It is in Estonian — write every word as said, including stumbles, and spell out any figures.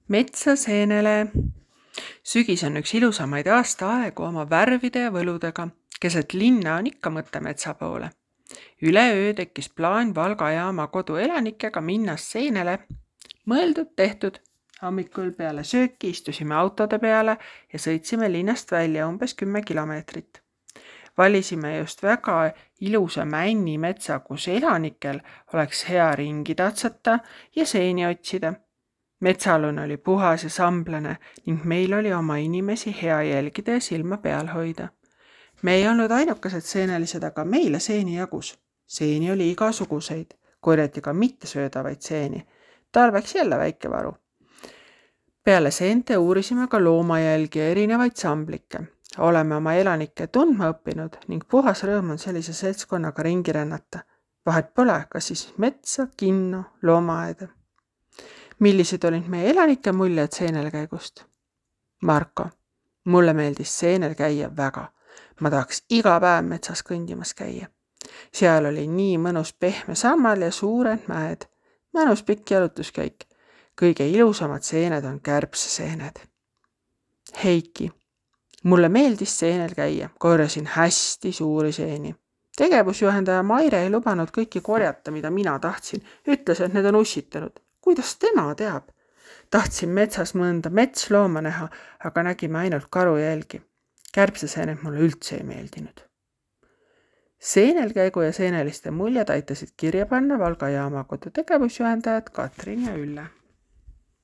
Metsa seenele. Sügis on üks ilusamaid aastaaegu oma värvide ja võludega. Keset linna on ikka mõte metsa poole. Üleöö tekkis plaan Valga jaama koduelanikega minnas seenele. Mõeldud tehtud. Hommikul peale sööki istusime autode peale ja sõitsime linnast välja umbes kümme kilomeetrit. Valisime just väga ilusa männi metsa, kus elanikel oleks hea ringi tatsata ja seeni otsida. Metsalune oli puhas ja samblane ning meil oli oma inimesi hea jälgida ja silma peal hoida. Me ei olnud ainukesed seenelised, aga meile seeni jagus. Seeni oli igasuguseid, korjati ka mittesöödavaid seeni. Talveks jälle väike varu. Peale seente uurisime ka loomajälgi ja erinevaid samblikke. Oleme oma elanikke tundma õppinud ning puhas rõõm on sellise seltskonnaga ringi rännata. Vahet pole, kas siis metsa, kinno, loomaaeda. Millised olid meie elanike muljed seenelkäigust? Marko, mulle meeldis seenel käia väga. Ma tahaks iga päev metsas kõndimas käia. Seal oli nii mõnus pehme sammal ja suured mäed. Mõnus pikk jalutuskäik. Kõige ilusamad seened on kärbseseened. Heiki, mulle meeldis seenel käia. Korjasin hästi suuri seeni. Tegevusjuhendaja Maire ei lubanud kõiki korjata, mida mina tahtsin. Ütles, et need on ussitanud. Kuidas tema teab? Tahtsin metsas mõnda metslooma näha, aga nägime ainult karu jälgi. Kärbseseened mulle üldse ei meeldinud. Seenelkäigu ja seeneliste muljed aitasid kirja panna Valga jaama kodu tegevusjuhendajad Katrin ja Ülle.